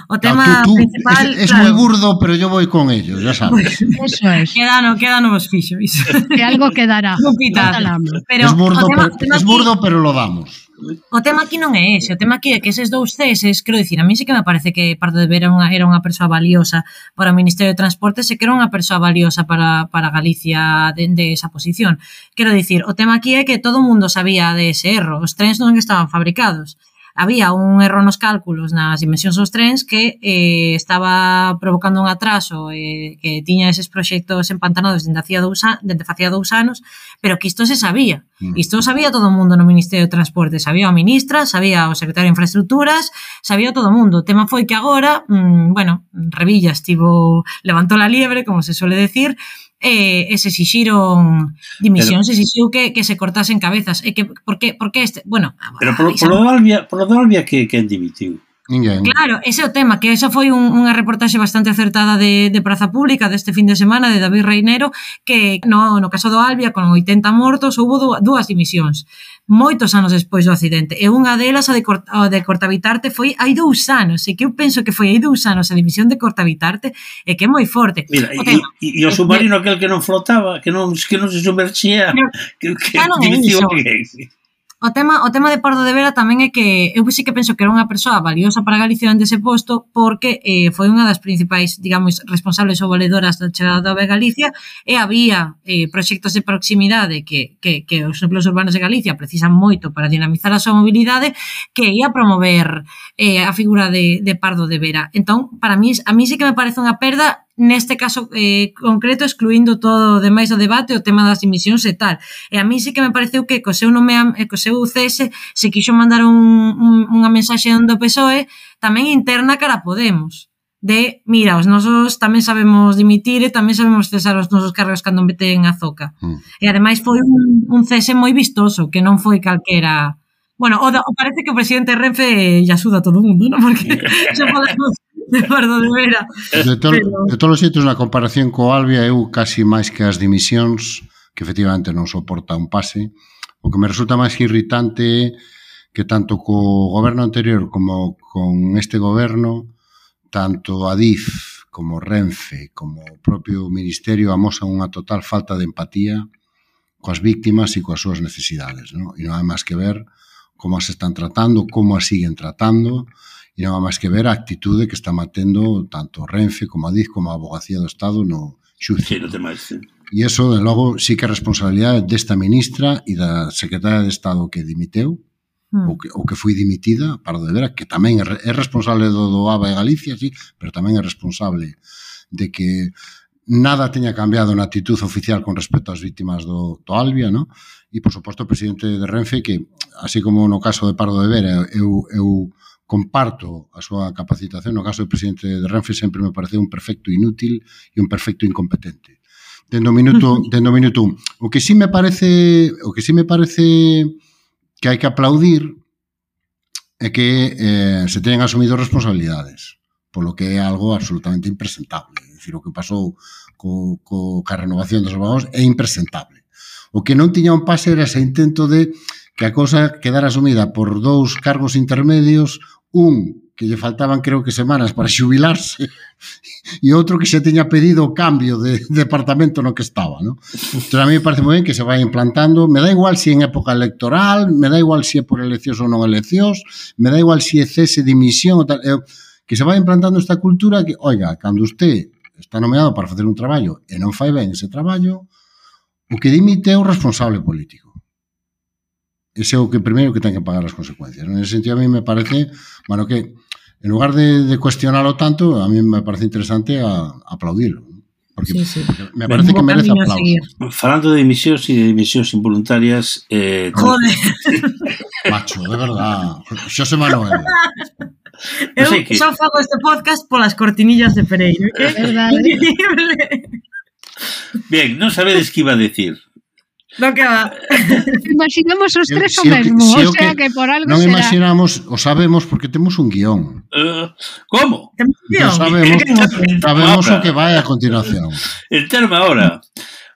[SPEAKER 5] o tema
[SPEAKER 4] Claro, tú, tú,
[SPEAKER 5] principal,
[SPEAKER 4] es, es
[SPEAKER 5] claro,
[SPEAKER 4] muy burdo, pero yo voy con ellos, ya sabes.
[SPEAKER 3] Eso es,
[SPEAKER 5] queda no, queda no vos fixo, iso.
[SPEAKER 3] que algo quedará.
[SPEAKER 5] Un pitazo.
[SPEAKER 3] Talamo.
[SPEAKER 5] Pero
[SPEAKER 4] es burdo,
[SPEAKER 5] o tema,
[SPEAKER 4] pero,
[SPEAKER 5] o tema
[SPEAKER 4] es
[SPEAKER 5] aquí-
[SPEAKER 4] burdo, pero lo damos.
[SPEAKER 5] O tema aquí non é ese, o tema aquí é que eses dous ceses, quero dicir, a mí sí que me parece que Pardo de Vera era unha, era unha persoa valiosa para o Ministerio de Transportes e que era unha persoa valiosa para, para Galicia de, de esa posición. Quero dicir, o tema aquí é que todo o mundo sabía de ese erro, os trens non estaban fabricados. Había un erro nos cálculos nas dimensións dos trens que eh, estaba provocando un atraso eh, que tiña eses proxectos empantanados dende facía dous, dende facía dous anos, pero que isto se sabía.
[SPEAKER 4] Mm.
[SPEAKER 5] Isto sabía todo o mundo no Ministerio de Transporte, sabía a ministra, sabía o secretario de Infraestructuras, sabía todo o mundo. O tema foi que agora, mmm, bueno, Revilla estivo, levantou la liebre, como se suele decir, e, e se exixiron dimisións, se exixiu que, que se cortasen cabezas. E que, por que, por que este, bueno,
[SPEAKER 2] Pero por,
[SPEAKER 5] ai,
[SPEAKER 2] por, lo de Albia, por lo de Albia que, que dimitiu.
[SPEAKER 4] Ninguén.
[SPEAKER 5] Claro, ese é o tema, que esa foi un, unha reportaxe bastante acertada de, de Praza Pública deste fin de semana de David Reinero, que no, no caso do Albia, con oitenta mortos, houbo dúas dimisións, moitos anos despois do accidente, e unha delas, a de, Cort, a de Cortavitarte, foi hai dous anos, e que eu penso que foi hai dous anos a dimisión de Cortavitarte, e que é moi forte.
[SPEAKER 2] Mira,
[SPEAKER 5] O
[SPEAKER 2] e,
[SPEAKER 5] tema,
[SPEAKER 2] e, e o submarino aquel que non flotaba, que non, que non se sumerxía, que, que
[SPEAKER 5] Claro, é
[SPEAKER 2] dimitiu
[SPEAKER 5] iso.
[SPEAKER 2] alguén.
[SPEAKER 5] O tema, o tema de Pardo de Vera tamén é que eu sí que penso que era unha persoa valiosa para Galicia dende ese posto porque eh, foi unha das principais, digamos, responsables ou valedoras da chegada da A V E a Galicia e había eh, proxectos de proximidade que, que, que os núcleos urbanos de Galicia precisan moito para dinamizar a súa mobilidade que ia promover eh, a figura de, de Pardo de Vera. Entón, para mí, a mí sí que me parece unha perda neste caso eh, concreto, excluindo todo o demais do debate, o tema das dimisións e tal. E a mí sí que me pareceu que co seu nome, co seu C S, se quixo mandar un, un, unha mensaxe do P S O E tamén interna cara a Podemos. De, mira, os nosos tamén sabemos dimitir e tamén sabemos cesar os nosos cargos cando meten a zoca.
[SPEAKER 4] Mm.
[SPEAKER 5] E ademais foi un, un C S moi vistoso, que non foi calquera... Bueno, o, da, o parece que o presidente Renfe lle axuda a todo o mundo, non? Porque xa falamos de Pardo de Vera.
[SPEAKER 4] De, to,
[SPEAKER 5] Pero-
[SPEAKER 4] de todos os xeitos, na comparación co Albia, eu casi máis que as dimisións, que efectivamente non soporta un pase, o que me resulta máis irritante que tanto co goberno anterior como con este goberno, tanto Adif como Renfe, como o propio Ministerio amosan unha total falta de empatía coas víctimas e coas súas necesidades, ¿no? E non hai máis que ver como as están tratando, como as siguen tratando, e non hai máis que ver a actitude que está mantendo tanto Renfe como Adif como a Abogacía do Estado no xuicio.
[SPEAKER 2] Sí, no tema este.
[SPEAKER 4] E iso, de logo, sí que é responsabilidade desta ministra e da secretaria de Estado que dimiteu,
[SPEAKER 5] Hmm.
[SPEAKER 4] ou que, ou que foi dimitida, Pardo de Vera, que tamén é, é responsable do, do A B A e Galicia, sí, pero tamén é responsable de que nada teña cambiado na actitud oficial con respecto ás vítimas do, do Albia, ¿no? E, por suposto, o presidente de Renfe, que, así como no caso de Pardo de Vera, eu, eu comparto a súa capacitación, no caso do presidente de Renfe sempre me pareceu un perfecto inútil e un perfecto incompetente. Dendo minuto, dendo minuto un. O que sí me parece, o que sí me parece que hai que aplaudir é que eh, se teñen asumido responsabilidades, polo que é algo absolutamente impresentable. É dicir, o que pasou co, co, ca renovación dos vagóns é impresentable. O que non tiña un pase era ese intento de que a cousa quedara asumida por dous cargos intermedios, un que lle faltaban creo que semanas para xubilarse e outro que xa teña pedido o cambio de, de departamento no que estaba, ¿no? Entón a mí me parece moi ben que se vai implantando, me dá igual se si en época electoral, me dá igual se si é por eleccións ou non eleccións, me dá igual se si é cese, dimisión ou tal, eu, que se vai implantando esta cultura que, oiga, cando usted está nomeado para facer un traballo e non fai ben ese traballo, o que dimite é o responsable político. Ese é o que primeiro que ten que pagar as consecuencias. En ese sentido, a mí me parece, bueno, que en lugar de, de cuestionarlo tanto, a mí me parece interesante a, a aplaudirlo. Porque
[SPEAKER 5] Sí, sí.
[SPEAKER 4] me parece que merece
[SPEAKER 5] Camino a
[SPEAKER 4] aplauso.
[SPEAKER 5] seguir.
[SPEAKER 2] Falando de dimisións e de dimisións involuntarias, eh,
[SPEAKER 5] Joder.
[SPEAKER 4] Macho, de verdad. Xosé Manuel.
[SPEAKER 5] Eu
[SPEAKER 2] sei que-
[SPEAKER 5] só fago este podcast polas cortinillas de Pereiro. Que
[SPEAKER 3] É verdade.
[SPEAKER 5] increíble.
[SPEAKER 2] Bien, non sabedes que iba a decir.
[SPEAKER 5] Non que va.
[SPEAKER 3] Imaginamos os
[SPEAKER 4] Se-
[SPEAKER 3] tres o
[SPEAKER 4] se o que-
[SPEAKER 3] mesmo,
[SPEAKER 4] se
[SPEAKER 3] o
[SPEAKER 4] o
[SPEAKER 3] sea
[SPEAKER 4] que
[SPEAKER 3] que por algo
[SPEAKER 4] Non
[SPEAKER 3] será.
[SPEAKER 4] imaginamos, o sabemos porque temos un guión.
[SPEAKER 2] Uh, como?
[SPEAKER 5] Temos
[SPEAKER 4] Entón
[SPEAKER 5] guión.
[SPEAKER 4] sabemos,
[SPEAKER 5] Que emoción.
[SPEAKER 4] sabemos
[SPEAKER 2] Ahora.
[SPEAKER 4] o que vai a continuación.
[SPEAKER 2] Enterme ahora.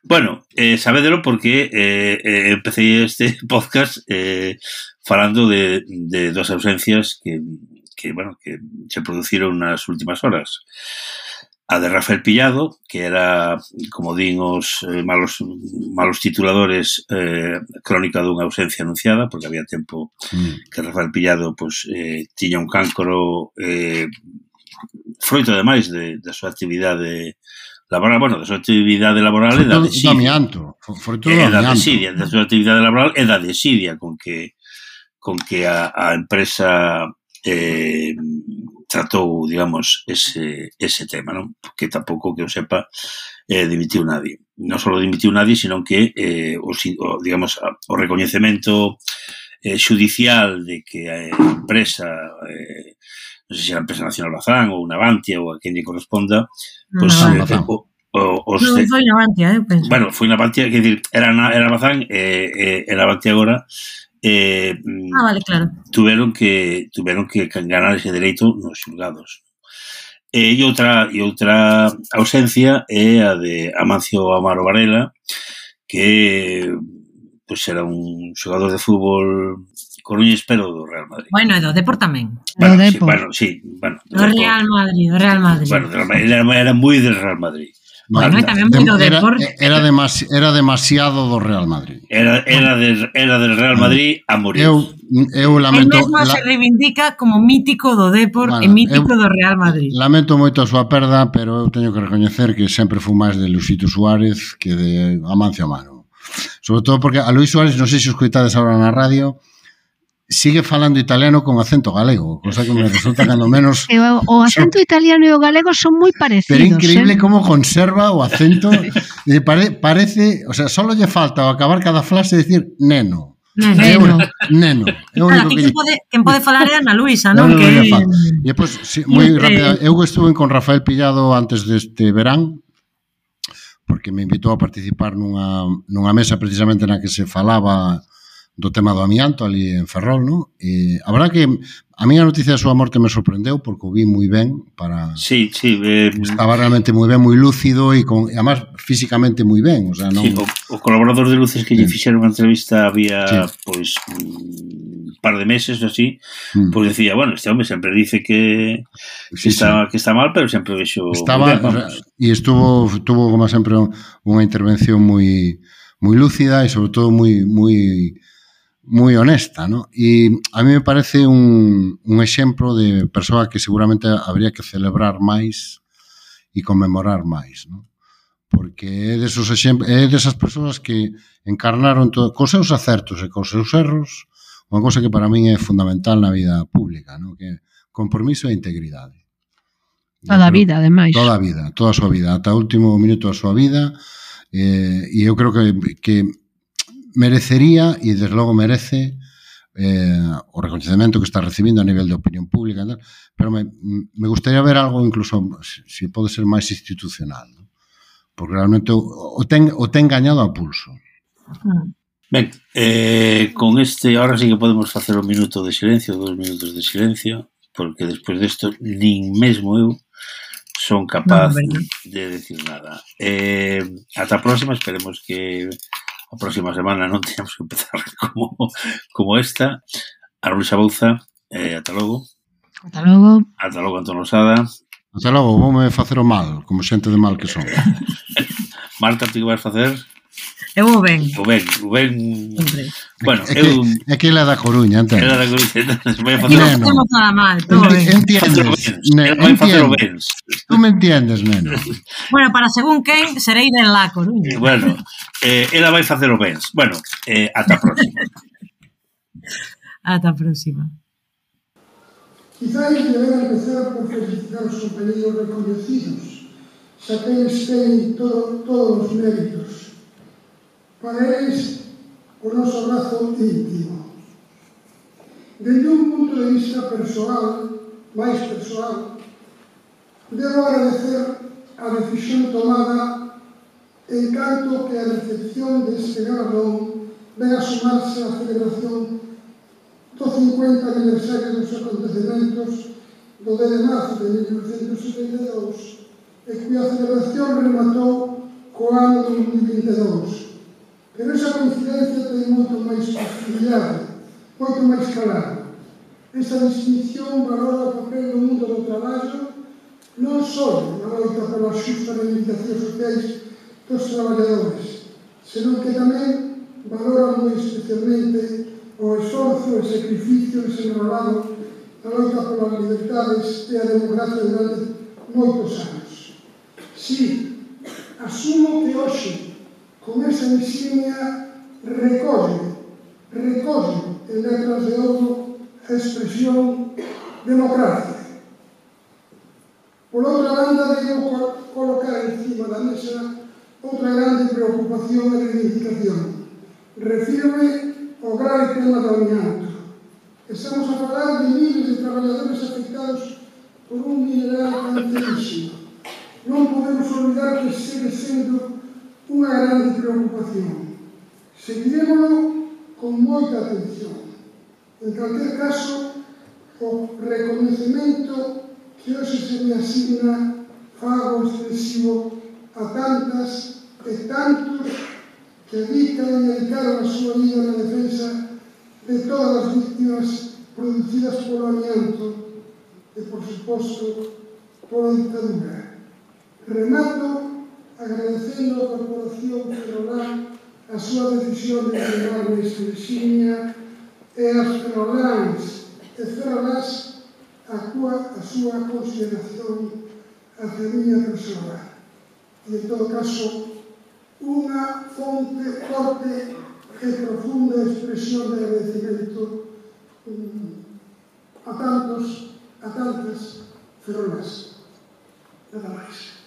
[SPEAKER 2] Bueno, eh, sabédelo porque eh, eh, empecé este podcast eh, falando de, de dos ausencias que, que, bueno, que se produciron nas últimas horas. A de Rafael Pillado, que era, como din os eh, malos, malos tituladores, eh, crónica dunha ausencia anunciada, porque había tempo
[SPEAKER 4] Mm.
[SPEAKER 2] que Rafael Pillado pues, eh, tiña un cáncoro eh, froito ademais de, da súa actividade laboral, bueno, da súa actividade laboral e
[SPEAKER 4] Foi
[SPEAKER 2] da
[SPEAKER 4] todo do
[SPEAKER 2] desidia.
[SPEAKER 4] amianto. Foi- Foi todo
[SPEAKER 2] E
[SPEAKER 4] do
[SPEAKER 2] da
[SPEAKER 4] amianto.
[SPEAKER 2] desidia, da súa actividade laboral e da desidia con que con que a, a empresa eh, tratou, digamos, ese, ese tema, non? Porque tampouco que eu sepa eh, dimitiu nadie. Non só dimitiu nadie, sino que eh, o, o, digamos, o recoñecemento eh, judicial de que a empresa eh, non sei se era a empresa Nacional Bazán ou unha Avantia ou a quen lle corresponda, pois
[SPEAKER 5] No,
[SPEAKER 2] eh,
[SPEAKER 4] Bazán.
[SPEAKER 2] o, o, os
[SPEAKER 5] Non
[SPEAKER 2] de-
[SPEAKER 5] foi na Avantia, eu penso.
[SPEAKER 2] bueno, foi na Avantia, quer dizer, era na era Bazán e eh, eh, era Avantia agora eh,
[SPEAKER 5] Ah, vale, claro.
[SPEAKER 2] tuveron que tuveron que ganar ese dereito nos xulgados. E outra e outra ausencia é a de Amancio Amaro Varela, que pois era un xogador de fútbol coruñés, pero do Real Madrid.
[SPEAKER 5] Bueno, e do Depor tamén.
[SPEAKER 2] Bueno,
[SPEAKER 3] Do
[SPEAKER 2] sí,
[SPEAKER 3] Depor.
[SPEAKER 2] bueno, sí, bueno,
[SPEAKER 5] Do Real Madrid, do Real Madrid.
[SPEAKER 2] Bueno, do Real Madrid. Era, era moi del Real Madrid.
[SPEAKER 5] Bueno, e tamén moi do
[SPEAKER 4] Era,
[SPEAKER 5] Depor.
[SPEAKER 4] era, demasi, era demasiado do Real Madrid.
[SPEAKER 2] Era, era, del, era del Real Madrid a morir.
[SPEAKER 4] Eu, eu
[SPEAKER 5] El
[SPEAKER 4] lamento,
[SPEAKER 5] mesmo
[SPEAKER 4] la,
[SPEAKER 5] se reivindica como mítico do Depor
[SPEAKER 4] Bueno,
[SPEAKER 5] e mítico
[SPEAKER 4] eu-
[SPEAKER 5] do Real Madrid.
[SPEAKER 4] lamento moito a súa perda, pero eu teño que recoñecer que sempre fui máis de Luisito Suárez que de Amancio Amaro. Sobre todo porque a Luis Suárez, non sei se os coitades agora na radio, sigue falando italiano con acento galego, cosa que me resulta cando menos...
[SPEAKER 3] E o, o acento italiano e o galego son moi parecidos.
[SPEAKER 4] Pero increíble
[SPEAKER 3] eh?
[SPEAKER 4] como conserva o acento. E pare, parece, o sea, solo lle falta ao acabar cada frase decir neno. É
[SPEAKER 3] Neno.
[SPEAKER 4] o- neno. É o
[SPEAKER 5] Claro,
[SPEAKER 4] único
[SPEAKER 5] aquí
[SPEAKER 4] que
[SPEAKER 5] quen pode, quen pode falar é Ana Luisa,
[SPEAKER 4] Non,
[SPEAKER 5] non?
[SPEAKER 4] non,
[SPEAKER 5] Que
[SPEAKER 4] lle falta. E depois, sí, moi
[SPEAKER 5] Este-
[SPEAKER 4] rápida, eu estuve con Rafael Pillado antes deste verán, porque me invitou a participar nunha, nunha mesa precisamente na que se falaba do tema do amianto ali en Ferrol, no? E a verdad que a miña noticia da súa morte me sorprendeu porque o vi moi ben para...
[SPEAKER 2] Sí, sí, eh,
[SPEAKER 4] Estaba realmente moi ben, moi lúcido e con, e además físicamente moi ben, o sea, non...
[SPEAKER 2] sí, o, o colaborador de Luces que lle fixeron a entrevista había,
[SPEAKER 4] Sí.
[SPEAKER 2] pois, un par de meses ou así,
[SPEAKER 4] Mm.
[SPEAKER 2] pois decía, bueno, este hombre sempre dice que, que,
[SPEAKER 4] Sí,
[SPEAKER 2] está, que está mal, pero sempre vexo
[SPEAKER 4] Estaba,
[SPEAKER 2] moi ben,
[SPEAKER 4] o sea,
[SPEAKER 2] vamos.
[SPEAKER 4] e estuvo tuvo como sempre unha intervención moi moi lúcida e sobre todo moi moi moi honesta, ¿no? E a mí me parece un, un exemplo de persoa que seguramente habría que celebrar máis e conmemorar máis, ¿no? Porque é desos exemplos, é desas persoas que encarnaron todo, cos seus acertos e cos seus erros, unha cosa que para min é fundamental na vida pública, ¿no? Que é compromiso e integridade.
[SPEAKER 3] Toda a
[SPEAKER 4] Eu creo-
[SPEAKER 3] vida, ademais.
[SPEAKER 4] Toda a vida, toda a súa vida, ata o último minuto da súa vida, eh, e eu creo que, que merecería, e desde logo merece, eh, o recoñecemento que está recibindo a nivel de opinión pública, ¿no? Pero me, me gustaría ver algo incluso, se si pode ser máis institucional, ¿no? Porque realmente o, o, ten, o ten gañado a pulso.
[SPEAKER 2] Ben, eh, con este, ahora sí que podemos facer un minuto de silencio, dos minutos de silencio, porque despois desto nin mesmo eu son capaz
[SPEAKER 5] Non, verdad.
[SPEAKER 2] de decir nada. Eh, ata a próxima, esperemos que a próxima semana non teñamos que empezar como, como esta. A Luisa Bouza, eh, ata logo.
[SPEAKER 3] Ata logo.
[SPEAKER 2] Ata logo, Antón Losada.
[SPEAKER 4] Ata logo, voume facer o mal, como xente de mal que son.
[SPEAKER 2] Marta, ti que vais facer?
[SPEAKER 5] Eu vou ben.
[SPEAKER 2] O ben, o ben...
[SPEAKER 5] Sempre.
[SPEAKER 2] Bueno,
[SPEAKER 4] É que,
[SPEAKER 2] eu...
[SPEAKER 4] é que ele é da Coruña, entende?
[SPEAKER 2] Era da Coruña, entonces vai a
[SPEAKER 5] Aquí
[SPEAKER 2] facer...
[SPEAKER 5] non
[SPEAKER 4] Neno.
[SPEAKER 5] facemos nada mal, todo
[SPEAKER 4] Enti-
[SPEAKER 5] ben.
[SPEAKER 4] Entiendes, neno,
[SPEAKER 2] Vai facer o
[SPEAKER 4] entiendes.
[SPEAKER 2] bens.
[SPEAKER 4] Tú me entiendes, neno.
[SPEAKER 5] Bueno, para según quen, serei de La Coruña.
[SPEAKER 2] Bueno, eh, ela vai facer o bens. Bueno, eh, ata a próxima.
[SPEAKER 5] Ata a próxima.
[SPEAKER 6] Quizás debera empezar por felicitar os compañeros reconhecidos, xa que eles teñen todo, todos os méritos. Para eles, o noso abrazo íntimo. Desde un punto de vista persoal, máis persoal, debo agradecer a decisión tomada en canto que a recepción deste galardón ven a sumarse á celebración do cincuenta aniversario dos acontecementos do dez de marzo de mil novecentos setenta e dous e cuya celebración rematou co ano dos mil vinte e dous. Pero esa coincidencia ten moito máis posibilidade, moito máis calado. Esta distinción valora o papel do mundo do traballo non só na loita polas xustas reivindicacións sociais dos traballadores, senón que tamén valora moi especialmente o esforzo e sacrificio desenrolado na loita polas libertades e a democracia durante moitos anos. Si, asumo que hoxe, con esa insignia, recolle, recolle en letras de ouro a expresión democracia. Por outra banda, debo colocar encima da mesa outra grande preocupación e reivindicación. Refírome ao grave tema do amianto. Estamos a falar de miles de traballadores afectados por un mineral cancerísimo. Non podemos olvidar que segue sendo unha grande preocupación. Seguiremoslo con moita atención. En calquer caso, o reconhecimento que hoxe se me asigna fago extensivo a tantas e tantos que dedican e dedicaron a súa vida na defensa de todas as víctimas producidas polo amianto e, por suposto, pola dictadura. Remato agradecendo a Corporación Ferrolán a súa decisión de entregarme esta insignia e as ferroláns e ferrolás a, cua, a súa consideración hacia a miña persoa. E, en todo caso, unha fonte forte e profunda expresión de agradecimento a tantos, a tantas ferrolas. Nada máis.